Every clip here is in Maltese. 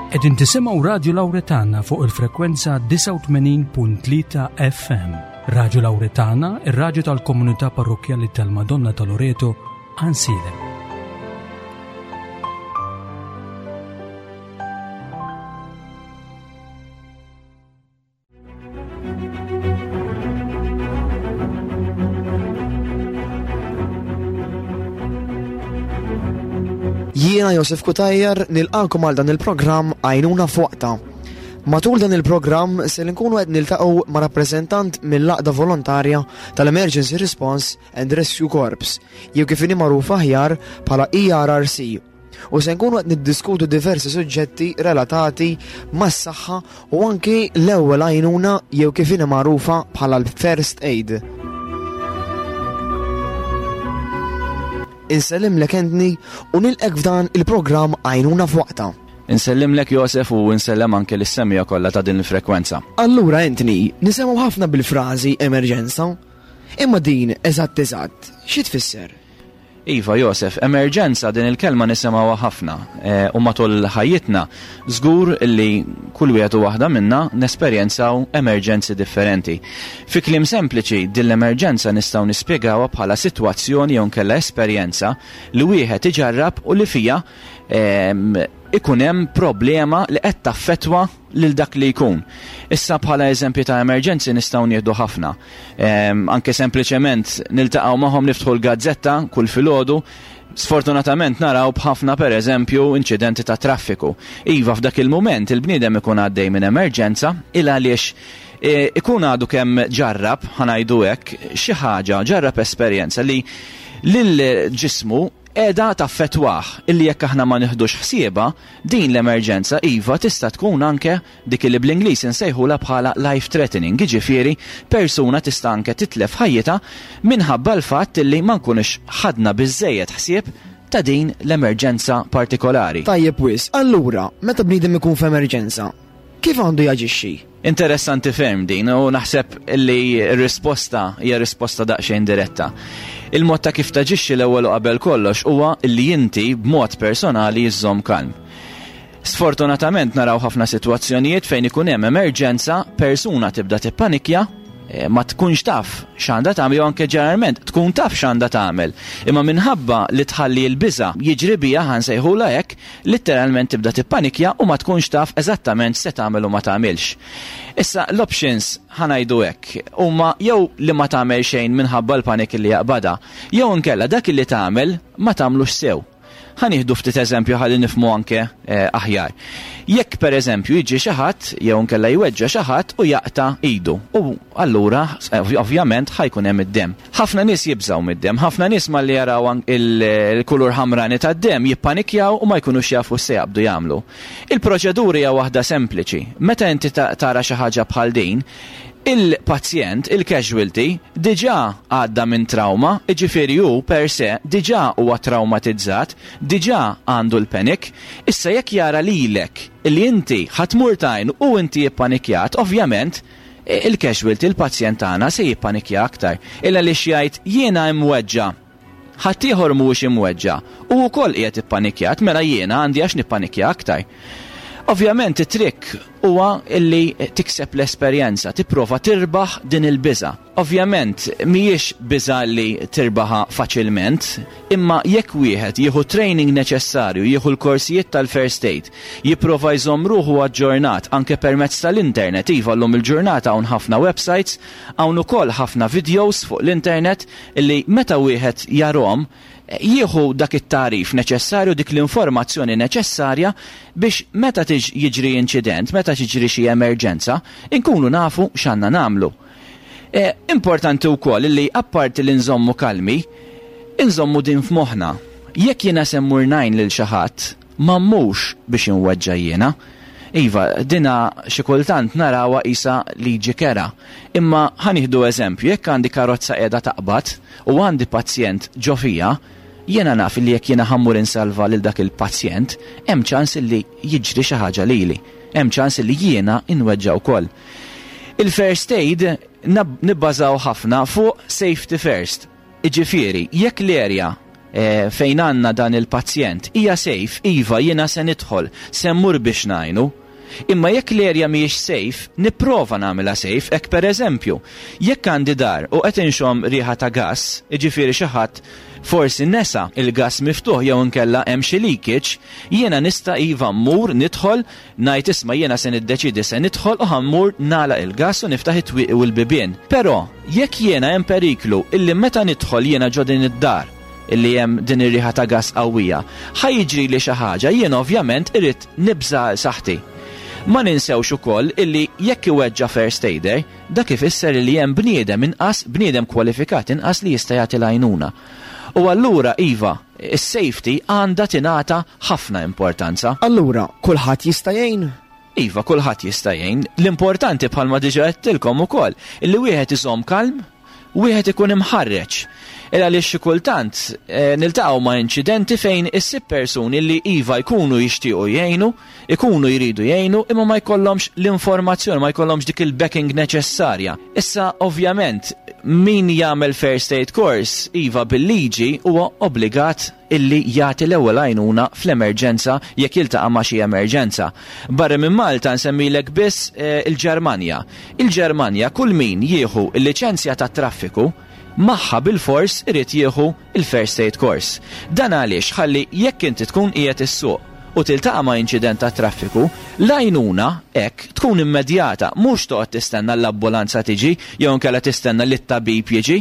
Qegħdin tisimgħu Radju Lawretana fuq il-frekwenza 89.3 FM. Radju Lawretana, ir-radju tal-komunità parrokkjali tal-Madonna ta' Loreto, Għansielem. Jiena Josef Kutajjar nilqakom għal dan il-programm Għajnuna f'Waqta. Matul dan il-programm se nkunu qed niltaqgħu ma' rappreżentant mill-Għaqda Volontarja tal-Emergency Response and Rescue Corps, jew kif inhi magħruf aħjar bħala ERRC. U se nkunu qed niddiskutu diversi suġġetti relatati mas-saħħa u anki l-ewwel għajnuna jew kif inhi magħrufa bħala l-first aid. Insellimlek Anthony u nilqek f'dan il-programm Għajnuna f'Waqtha. Insellimlek Josef u insellem anke lis-semmiegħa kollha ta' din il-frekwenza. Allura Anthony, nisemgħu ħafna bil-frażi emerġenza. Imma din eżatt eżatt xi tfisser? Iva, Josef, emerġenza din il-kelma nisimgħuha ħafna u matul ħajjitna żgur li kull wieħed u waħda minna nesperjenzaw emerġenzi differenti. Fi kliem sempliċi, din l-emerġenza nistgħu nispjegawha bħala sitwazzjoni jew inkella esperjenza li wieħed iġarrab u li fiha ikun hemm problema li qed taffettwa lil dak li jkun. Issa bħala eżempji ta' emerġenzi nistgħu nieħdu ħafna. Ehm, anke sempliċement niltaqgħu magħhom niftħu l-gazzetta kull filgħodu, sfortunatament naraw b'ħafna per eżempju inċidenti ta' traffiku. Iva f'dak il-mument il-bniedem ikun għaddej minn emerġenza il għaliex e, ikun għadu kemm ġarrab, ħanajdu hekk, xi ħaġa, ġarrab esperjenza li lil ġismu qiegħda taffettwah illi jekk aħna ma nieħdux ħsiebha, din l-emerġenza iva tista' tkun anke dik illi bl-Ingliż insejħulha bħala life threatening, jiġifieri persuna tista' anke titlef ħajjitha minħabba l-fatt illi ma nkunux ħadna biżżejjed ħsieb ta' din l-emerġenza partikolari. Tajjeb wisq, allura meta bniedem ikun f'emerġenza, Kif għandu jaġixxi? Interessanti ferm din u naħseb li r-risposta hija risposta daqsxejn diretta. Il-mod ta' kif taġixxi l-ewwel u qabel kollox huwa li inti b'mod personali żżomm kalm. Sfortunatament naraw ħafna sitwazzjonijiet fejn ikun hemm emerġenza, persuna tibda tippanikja, eh, ma tkunx taf x'għandha tagħmel jew anke ġeneralment tkun taf x'għandha tagħmel. Imma minħabba li tħalli l-biża' jiġri biha ħansejħulha hekk, Litteralment tibda tippanikja u ma tkunx taf eżattament x'se tagħmel u ma tagħmilx. Issa l-options, ħa ngħidu hekk, huma jew li ma tagħmel xejn minħabba l-panik li jaqbadha, jew inkella dak li tagħmel ma tagħmlux sew. Ħa nieħdu ftit eżempju ħalli nifhmu anke aħjar. Jekk pereżempju jiġi xi ħadd jew inkella jweġġa' xi ħadd u jaqta' idu u allura ovvjament ħa jkun hemm id-demm. Ħafna nies jibżgħu mid-demm. Ħafna nies malli jaraw il-kulur ħamrani tad-demm jippanikjaw u ma jkunux jafu x'se jaqbdu jagħmlu. Il-proċedura hija waħda sempliċi. Meta inti tara xi ħaġa bħal din, il-pazjent, il-casualty, diġà għadda minn trawma, jiġifieri hu per se diġà huwa trawmatizzat, diġà għandu l-panic. Issa jekk jara lilek li inti ħa tmur tgħinu u inti ippanikjat, ovvjament, Il-casualty, il-pazjent tagħna se jippanikja aktar. Il għaliex jgħid jiena imweġġa'. Ħaddieħor mhuwiex imweġġa' u wkoll qiegħed ippanikjat mela jiena għandi għax nippanikja aktar. Ovvjament it-trick huwa illi tikseb l-esperjenza, tipprova tirbaħ din il-biża'. Ovvjament, mhijiex biża' li tirbaħha faċilment, imma jekk wieħed jieħu t-training neċessarju, jieħu l-korsijiet tal-first aid, jipprova jżomm ruħu aġġornat anke permezz tal-internet, iva llum il-ġurnata hawn ħafna websites, hawn ukoll ħafna videos fuq l-internet li meta wieħed jarhom, jieħu dak it-tagħrif neċessarju, dik l-informazzjoni neċessarja biex meta jiġri inċident, meta tiġri xi emerġenza, inkunu nafu x'għandna nagħmlu. Importanti wkoll li apparti li nżommu kalmi, inżommu din f'moħħna. Jekk jiena se mmur ngħin lil xi ħadd, ma mmurx biex inweġġa' jiena. Iva, dina xi kultant narawha qisha liġi kerha. Imma ħa nieħdu eżempju, jekk għandi karozza qiegħda taqbad u għandi pazjent ġo fiha, jiena naf li jekk jiena ħa mmur insalva lil dak il-pazjent, hemm ċans li jiġri xi ħaġa lili. Hemm ċans li jiena nweġġa' wkoll. Il-first aid nibbażaw ħafna fuq safety first. Jiġifieri, jekk l-area. eh, fejn għandna dan il-pazjent hija safe, iva jiena se nidħol, se mmur biex ngħinu. Imma jekk l-area mhijiex safe, nipprova nagħmilha safe, hekk pereżempju, jekk għandi dar u qed inxomm riħa ta' gass, jiġifieri xi ħadd forsi nesa il-gass miftuħ jew inkella hemm xi leakage, jiena nista' iva mmur nidħol ngħid isma' jiena se niddeċiedi se nidħol u ħa mmur nagħlaq il-gass u niftaħ it-twieqi u l-bibien. Però, jekk jiena hemm periklu illi meta nidħol jiena ġo din id-dar illi hemm din ir-riħa ta' gass qawwija, ħa jiġrili xi ħaġa, jiena ovvjament irrid nibża' għal saħħti. Ma ninsewx ukoll illi jekk iweġġa' first aider, dak ifisser illi hemm bniedem inqas, bniedem kwalifikat inqas li jista' jagħti l-għajnuna. U allura iva, is-safety għandha tingħata ħafna importanza. Allura, kulħadd jista' jgħin? Iva, kulħadd jista' jgħin. L-importanti bħalma diġà għedtilkom ukoll, illi wieħed iżomm kalm, wieħed ikun imħarreġ. Il għaliex xi kultant eh, niltaqgħu ma' inċidenti fejn issib persuni li iva jkunu jixtiequ jgħinu, ikunu jridu jgħinu, imma ma jkollhomx l-informazzjoni, ma jkollhomx dik il-backing neċessarja. Issa ovvjament min jagħmel first aid course iva bil-liġi huwa obbligat illi jagħti l-ewwel għajnuna fl-emerġenza jekk jiltaqa' ma' xi emerġenza. Barra minn Malta nsemmilek biss eh, il-Ġermanja. Il-Ġermanja kull min jieħu l-liċenzja tat-traffiku magħha bilfors irid jieħu il-first aid course. Dan għaliex ħalli jekk inti tkun qiegħed issuq u tiltaqa' ma' inċident tat-traffiku, l-għajnuna hekk tkun immedjata, mhux toqgħod tistenna l-ambulanza tiġi jew inkella tistenna li t-tabib jiġi.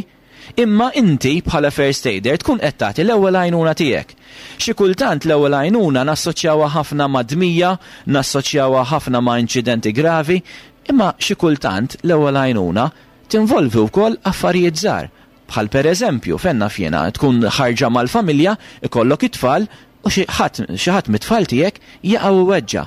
Imma inti bħala first aider tkun qed tagħti l-ewwel għajnuna tiegħek. Xi kultant l-ewwel għajnuna nassoċjawha ħafna ma' dmija, nassoċjawha ħafna ma' inċidenti gravi, imma xi kultant l-ewwel għajnuna tinvolvi wkoll affarijiet żgħar, bħal pereżempju, fejn naf jiena, tkun ħarġa mal-familja, ikollok it-tfal u xi ħadd xi ħadd mit-tfal tiegħek jaqa' u jweġġa'.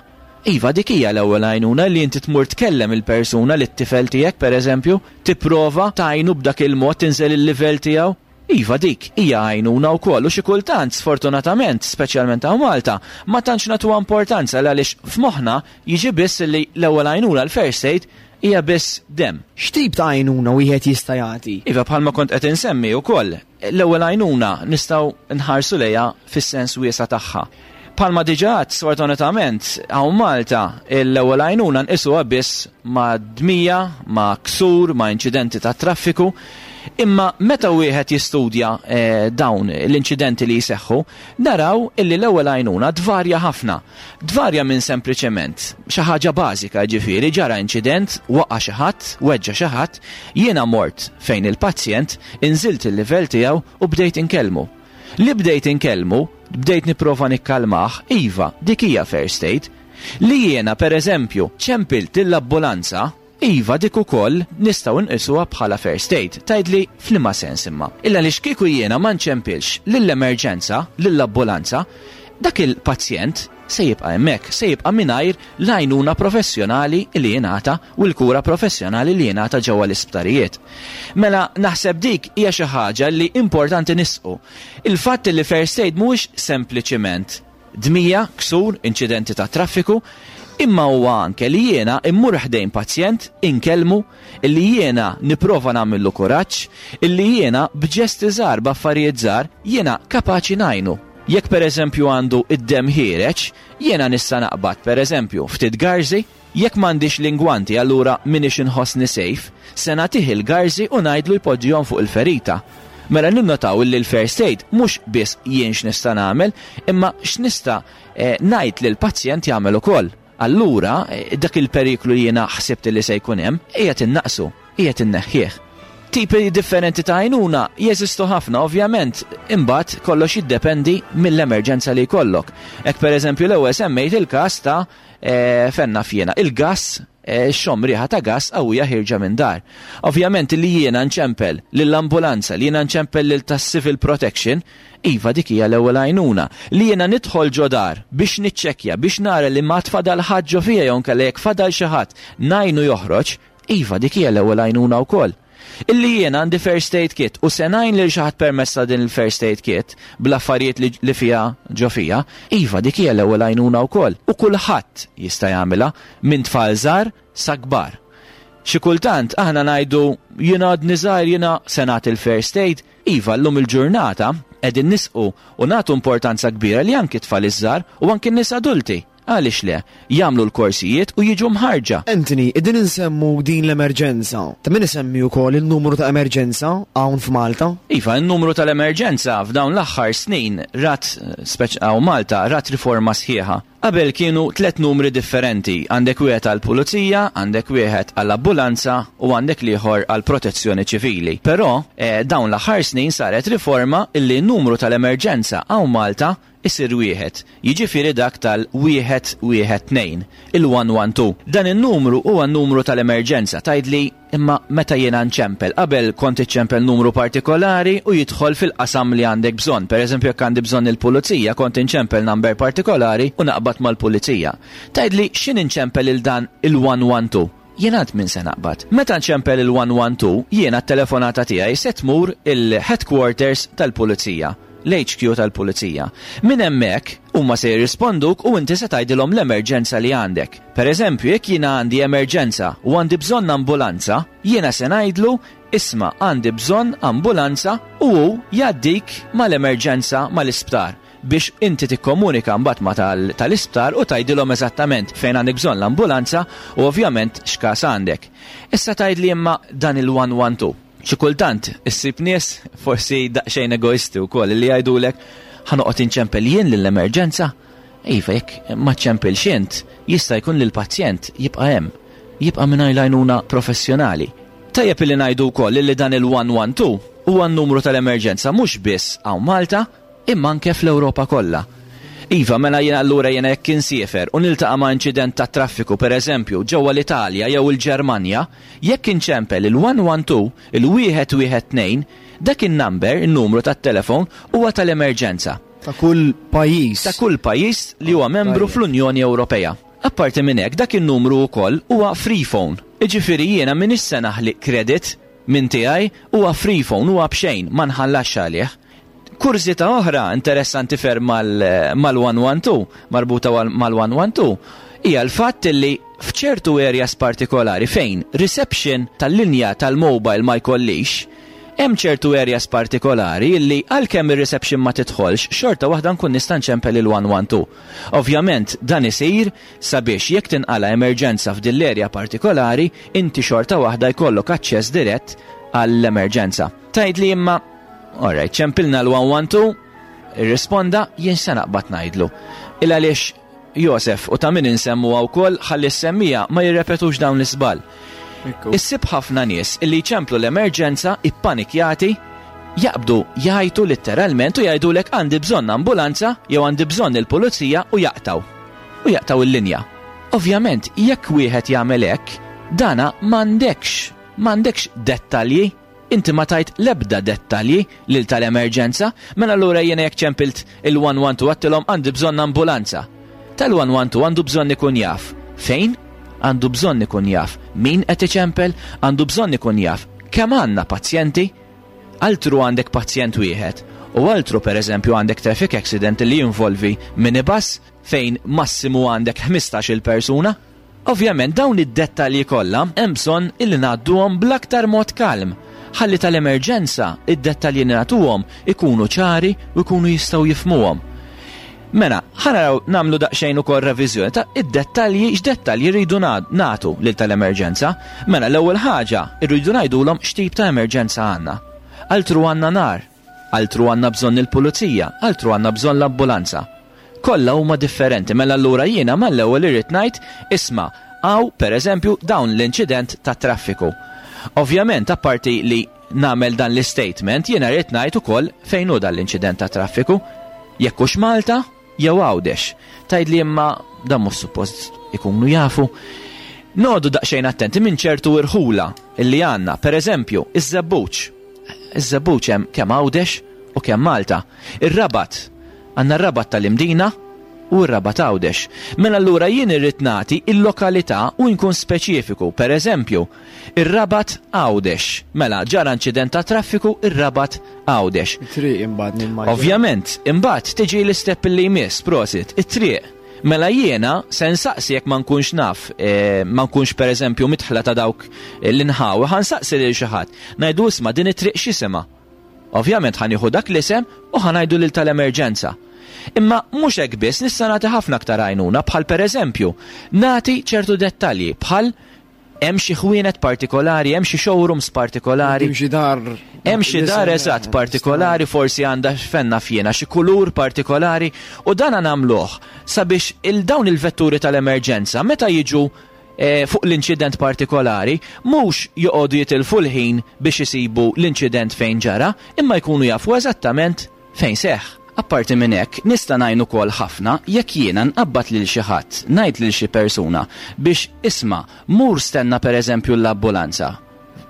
Iva, dik hija l-ewwel għajnuna li inti tmur tkellem il-persuna lit-tifel tiegħek pereżempju, tipprova tgħinu b'dak il-mod tinżel il-livell tiegħu. Iva, dik hija għajnuna wkoll u xi kultant, sfortunatament, speċjalment hawn Malta, ma tantx nagħtuha importanza għaliex f'moħħna jiġi biss li l-ewwel għajnuna, l-first aid, hija biss demm. X'tip ta' għajnuna wieħed jista' jagħti? Iva, bħalma kont qed insemmi wkoll, L-ewwel għajnuna nistgħu nħarsu lejha fis-sens wiesa' tagħha. Bħalma diġà għedt, sfortunatament, hawn Malta, l-ewwel għajnuna nqisuha biss ma' dmija, ma' ksur, ma' inċidenti tat-traffiku. Imma meta wieħed jistudja dawn l-inċidenti li jseħħu, naraw illi l-ewwel għajnuna tvarja ħafna. Tvarja minn sempliċement xi ħaġa bażika, jiġifieri ġara inċident, waqa' xi ħadd, weġġa' xi ħadd, jiena mort fejn il-pazjent, inżilt il-livell tiegħu u bdejt inkellmu. Li bdejt inkellmu, bdejt nipprova nikkalmah, iva, dik hija first aid. Li jiena, pereżempju, ċempilt lill-ambulanza, Iva, dik ukoll nistgħu nqisuha bħala first aid. Tgħidli f'liema sens imma? Illa għaliex kieku jiena ma nċempilx lill-emerġenza, lill-ambulanza, dak il-pazjent se jibqa' hemmhekk, se jibqa' mingħajr l-għajnuna professjonali li jingħata u l-kura professjonali li jingħata ġewwa l-isptarijiet. Mela naħseb dik hija xi ħaġa li importanti nisqu. Il-fatt li first aid mhuwiex sempliċiment Dmija, ksur, inċidenti tat-traffiku, imma huwa anke li jiena immur ħdejn pazjent, inkellmu, illi jiena nipprova nagħmillu kuraġġ, illi jiena b'ġesti żgħar, b'affarijiet żgħar, jiena kapaċi ngħinu. Jekk pereżempju għandu d-demm ħiereġ, jiena nista' naqbad pereżempju ftit garżi, Jekk m'għandix l-ingwanti allura m'iniex inħossni safe, se nagħtih il-garżi u ngħidlu jpoġġihom fuq il-ferita. Mela ninnotaw illi l-first aid mhux biss jien x'nista' nagħmel, imma x'nista' ngħid lill-pazjent jagħmel ukoll. Allura dak il-periklu li jiena ħsibt illi se jkun hemm, qiegħed innaqqsu, qiegħed inneħħih. Tipi differenti ta' għajnuna jeżistu ħafna, ovvjament, imbagħad kollox jiddependi mill-emerġenza li jkollok. Hekk pereżempju l-ewwel semmejt il-każ ta' Fejn naf jiena, il-gass, xxomm riħa ta' gass qawwija ħierġa minn dar. Ovvjament li jiena nċempel lill-ambulanza, li jiena nċempel lil tas-civil protection, iva dik hija l-ewwel għajnuna. Li jiena nidħol ġo dar biex niċċekkja, biex nara li m'għad fadal ħadd ġo fiha jew inkella jekk fadal xi ħadd ngħinu joħroġ, iva dik hija l-ewwel għajnuna wkoll. Illi jiena għandi first aid kit u se ngħin lil xi ħadd permezz ta' din il-first aid kit bl-affarijiet li, li fiha ġo fija, iva dik hija l-ewwel għajnuna wkoll. U kulħadd jista' jagħmilha, minn tfal żgħar sa kbar. Xi kultant aħna ngħidu jiena għadni żgħir jiena se nagħti l-first aid. Iva, llum il-ġurnata. qegħdin nisqu u nagħtu importanza kbira li anki tfal iż-żgħar u anki n-nies adulti, għaliex le, jagħmlu l-korsijiet u jiġu mħarrġa. Anthony, qegħdin insemmu din l-emerġenza. Ta' min isemmi wkoll in-numru ta' emerġenza hawn f'Malta? Iva, in-numru tal-emerġenza f'dawn l-aħħar snin rat, speċ hawn Malta, rat riforma sħiħa. Qabel kienu tlett numri differenti, għandek wieħed għall-pulizija, għandek wieħed għall-abbulanza u għandek l-ieħor għall-protezzjoni ċivili. Però, dawn l-aħħar snin saret riforma illi n-numru tal-emerġenza hawn Malta isir wieħed, jiġifieri dak tal-112, il-112. Dan in-numru huwa n-numru tal-emerġenza, tgħidli, Imma meta jiena nċempel, qabel kont iċċempel numru partikolari u jidħol fil-qasam li għandek bżonn. Per eżempju jekk għandi bżonn il-pulizija, kont inċempel number partikolari u naqbad mal-pulizija. Tgħidli x'in inċempel lil dan il-112? Jien għand min se naqbad? Meta nċempel il-112, jiena t-telefonata tiegħi se tmur il-headquarters tal-pulizija. l-HQ tal-Pulizija. Minn hemmhekk, huma se jirrisponduk u inti se tgħidilhom l-emerġenza li għandek. Per eżempju, jekk jiena għandi emerġenza u għandi bżonn ambulanza, jiena se ngħidlu, isma' għandi bżonn ambulanza u hu jgħaddik mal-emerġenza mal-isptar biex inti tikkomunika mbagħad ma' tal-isptar u tgħidilhom eżattament fejn għandek bżonn l-ambulanza u ovvjament x'każ għandek. Issa tgħidli imma dan il-112. Xi kultant issib nies forsi daqsxejn egoisti wkoll li jgħidulek ħa noqgħod inċempel jien lill-emerġenza. Iva, jekk ma ċċempilx int, jista' jkun li l-pazjent jibqa' hemm, jibqa' mingħajr l-għajnuna professjonali. Tajjeb illi ngħidu wkoll illi dan il-112 huwa n-numru tal-emerġenza mhux biss hawn Malta, imma anke fl-Ewropa kollha. Iva, mela jiena allura jiena jekk insiefer u niltaqa' ma' inċident tat-traffiku, pereżempju, ġewwa l-Italja jew il-Ġermanja, jekk inċempel il-112, il-wieħed wieħed tnejn, dak in-number, in-numru tat-telefon, huwa tal-emerġenza. Ta' kull pajjiż. Ta' kull pajjiż li huwa membru fl-Unjoni Ewropea. Apparti minn hekk, dak in-numru wkoll huwa free phone. Jiġifieri jiena m'iniex se naħli credit minn tiegħi, huwa free phone, huwa b'xejn, ma nħallasx għalih. Kurżità oħra interessanti ferm mal-112, marbuta mal-112, hija l-fatt li f'ċertu areas partikolari fejn reception tal-linja tal-mobile ma jkollix, hemm ċertu areas partikolari li għalkemm ir-reception ma tidħolx, xorta waħda nkun nista' nċempel il-112. Ovvjament dan isir sabiex jekk tinqala' emerġenza f'din l-area partikolari, inti xorta waħda jkollok aċċess dirett għall-emerġenza. Tgħidli imma Alright, ċempilna l-112, irrisponda, jien se naqbad ngħidlu. Il għaliex Josef u ta' min insemmuha wkoll ħalli s-semmija ma jirrepetux dawn l-iżball. Issib ħafna nies illi jċemplu l-emerġenza ippanikjati jaqbdu jgħajtu litteralment u jgħidulek għandi bżonn ambulanza jew għandi bżonn il-pulizija u jaqtaw. U jaqtaw il-linja. Ovvjament, jekk wieħed jagħmel hekk, dana m'għandekx, m'għandekx dettalji Inti ma tajt l-ebda dettalji lil tal-emerġenza, mela allura jiena jekk ċempilt il-112 għedtilhom għandi bżonn ambulanza. Tal-112 għandu bżonn ikun jaf fejn, għandu bżonn ikun jaf min qed iċempel, għandu bżonn ikun jaf kemm għandna pazjenti. Altru għandek pazjent wieħed u altru pereżempju għandek traffic accident li jinvolvi minibus fejn massimu għandek ħmistax-il persuna. Ovvjament dawn id-dettalji kollha hemm bżonn illi ngħadduhom bl-aktar mod kalm, ħalli tal-emerġenza id-dettalji li nagħtuhom ikunu ċari u jkunu jistgħu jifhmuhom. Mela, ħa naraw nagħmlu daqsxejn ukoll reviżjoni ta' id-dettalji x'dettalji rridu nagħtu lil tal-emerġenza. Mela l-ewwel ħaġa rridu ngħidulhom x'tip ta' emerġenza għandna. Altru għandna nar, Altru għandna bżonn il-pulizija, altru għandna bżonn l-ambulanza. Kollha huma differenti, mela allura jiena mal-ewwel irrid ngħid, isma' hawn pereżempju dawn l-inċident tat-traffiku. Ovvjament apparti li nagħmel dan l-istatement jiena rrid ngħid ukoll fejn hu dan l-inċident tat-traffiku. Jekk hux Malta jew Għawdex. Tgħidli imma dan mhux suppost ikunu jafu. Noqogħdu daqsxejn attenti minn ċertu irħula li għandna, pereżempju, iż-Żebbuġ. Iż-Żebbuġ hemm kemm Għawdex u kemm Malta. Ir-Rabat, għandna r-Rabat tal-Imdina u r-Rabat Għawdex. Mela allura jien irrid nagħti l-lokalità u nkun speċifiku. Per eżempju, ir-Rabat Għawdex. Mela ġara inċident ta' traffiku ir-Rabat Għawdex. It-triq imbagħad nimmaġina. Ovvjament, imbagħad tiġi l-istep li jmiss, prosit, it-triq. Mela jiena se nsaqsi jekk ma nkunx naf, eh, ma nkunx pereżempju midħla ta' dawk l-inħawi, ħa nsaqsi lil xi ħadd. Ngħidu isma' din it-triq x'isimha? Ovvjament ħa nieħu dak l-isem u ħa ngħidu lil tal-emerġenza. Imma mhux hekk biss, nista' nagħti ħafna aktar għajnuna bħal pereżempju nagħti ċertu dettalji bħal hemm xi ħwienet partikolari, hemm xi showrooms partikolari. Hemm xi dar. Hemm xi dar eżatt partikolari, forsi għandha x'fenna f'jiena, xi kulur partikolari u dan nagħmluh sabiex il dawn il-vetturi tal-emerġenza meta jiġu eh, fuq l-inċident partikolari mhux joqogħdu jitilfu l-ħin biex isibu l-inċident fejn ġara, imma jkunu jafu eżattament Fejn seħħ. Apparti minn hekk, nista' ngħin ukoll ħafna jekk jiena nqabbad lil xi ħadd, ngħid lil xi persuna biex isma' mur stenna pereżempju l-ambulanza,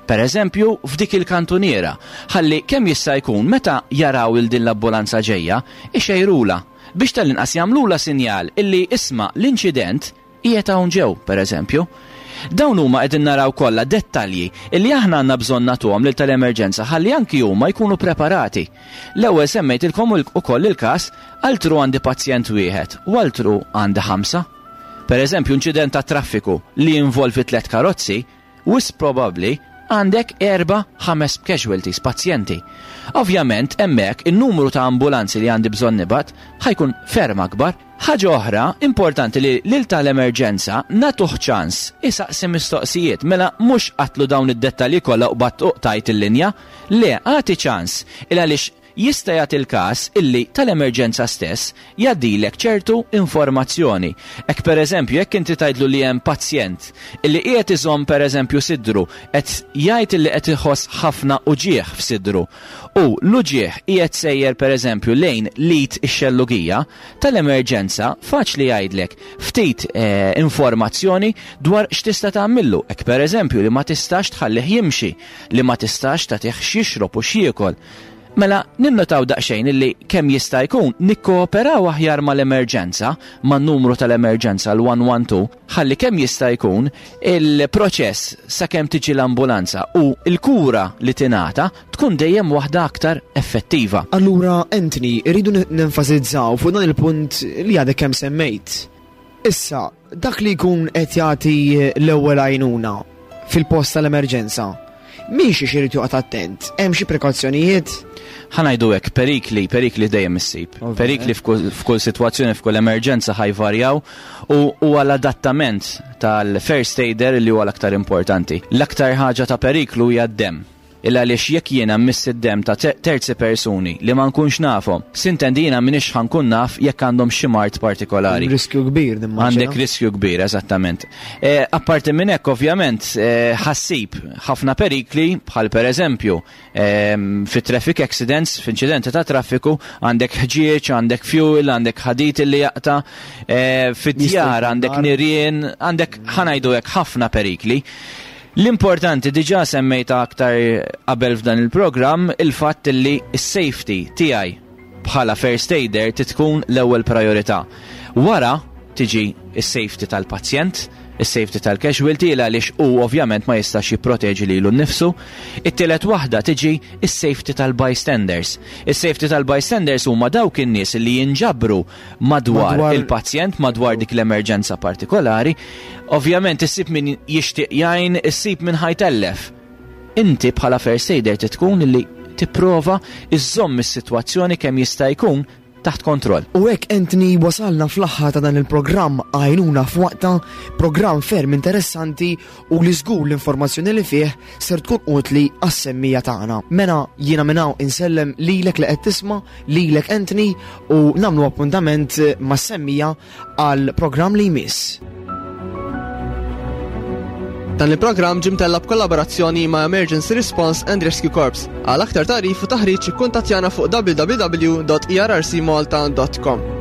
pereżempju f'dik il-kantuniera, ħalli kemm jista' jkun meta jaraw 'il din l-ambulanza ġejja, ixejrulha, biex tal-inqas jagħmlulha sinjal illi isma' l-inċident Qiegħed hawn ġew, per eżempju. Dawn huma qegħdin naraw kollha dettalji illi aħna għandna bżonn nagħtuhom lil tal-emerġenza ħalli anki huma jkunu preparati. L-ewwel semmejtilkom ukoll il-każ altru għandi pazjent wieħed u altru għandi ħamsa. Per eżempju, inċident tat-traffiku li jinvolvi tlett karozzi, Wisq probabbli għandek erba', ħames casualties, pazjenti. Ovvjament hemmhekk in-numru ta' ambulanzi li għandi bżonn nibgħat ħa jkun ferm akbar. Ħaġa oħra, importanti li lil tal-emerġenza nagħtuh ċans isaqsi mistoqsijiet. Mela mhux qatlu dawn id-dettalji kollha u qbadt u qtajt il-linja. Le, agħti ċans il għaliex Jista' jagħti l-każ illi tal-emerġenza stess jgħaddilek ċertu informazzjoni. Hekk pereżempju jekk inti tgħidlu li hemm pazjent illi qiegħed iżomm pereżempju sidru qed jgħid illi qed iħoss ħafna uġigħ f'sidru u l-uġigħ qiegħed sejjer pereżempju lejn l-id ix-xellugija, tal-emerġenza faċli jgħidlek ftit informazzjoni dwar x'tista' tagħmillu. Hekk pereżempju li ma tistax tħallih jimxi, li ma tistax tagħtih x'jixrob u x'jiekol. Mela, ninnotaw daqsxejn illi kemm jista' jkun nikkooperaw aħjar mal-emerġenza, man-numru tal-emerġenza l-112, ħalli kemm jista' jkun il-proċess sakemm tiġi l-ambulanza u l-kura li tingħata tkun dejjem waħda aktar effettiva. Allura, Anthony, irridu nenfasizzaw fuq dan il-punt li għadek kemm semmejt. Issa, dak li jkun qed jagħti l-ewwel għajnuna fil-post tal-emerġenza, minn xiex irid joqgħod attent? Hemm xi prekawzjonijiet? Ħa ngħidu hekk, perikli, perikli dejjem issib. Perikli f'kull sitwazzjoni, f'kull emerġenza ħa jvarjaw u huwa l-adattament tal-first aider li huwa l-aktar importanti. L-aktar ħaġa ta' periklu hija d-demm. Il għaliex jekk jiena mmiss id-demm ta' terzi persuni li ma nkunx nafhom, sintendi jiena m'iniex ħa nkun naf jekk għandhom xi mard partikolari. Hemm riskju kbir nimmaġina. Għandek riskju kbir, eżattament. Apparti minn hekk ovvjament ħa ssib ħafna perikli bħal pereżempju fi traffic accidents, f'inċidenti ta' traffiku, għandek ħġieġ, għandek fuel, għandek ħadid li jaqta', fid-djar għandek nirien, għandek ħa ngħidu hekk ħafna perikli. L-importanti diġà semmejtha aktar qabel f'dan il-programm il-fatt li s-safety tiegħi bħala first aider trid tkun l-ewwel priorità. Wara tiġi s-safety tal-pazjent, is-safety tal-casualty il għaliex hu ovvjament ma jistax jipproteġi lilu nnifsu. It-tielet waħda tiġi s-safety tal-bystanders. Is-safety tal-bystanders huma dawk in-nies li jinġabru madwar il-pazjent, madwar dik l-emerġenza partikolari. Ovvjament issib min jixtieq jgħin, issib min ħajtellef. Inti bħala first aider tkun li tipprova iżżomm is-sitwazzjoni kemm jista' jkun taħt kontroll. U hekk Anthony wasalna fl-aħħar ta' dan il-programm Għajnuna f'Waqtha, programm ferm interessanti u li żgur l-informazzjoni li fih ser tkun utli għas-semmija tagħna. Mela jiena minn hawn insellem lilek li qed tisma', lilek Anthony u nagħmlu appuntament mas-semmija għal programm li jmiss. Dan il-programm ġie mtella' b'kollaborazzjoni ma' Emergency Response and Rescue Corps. Għal aktar tagħrif u taħriġ ikkuntattjana fuq www.errcmalta.com.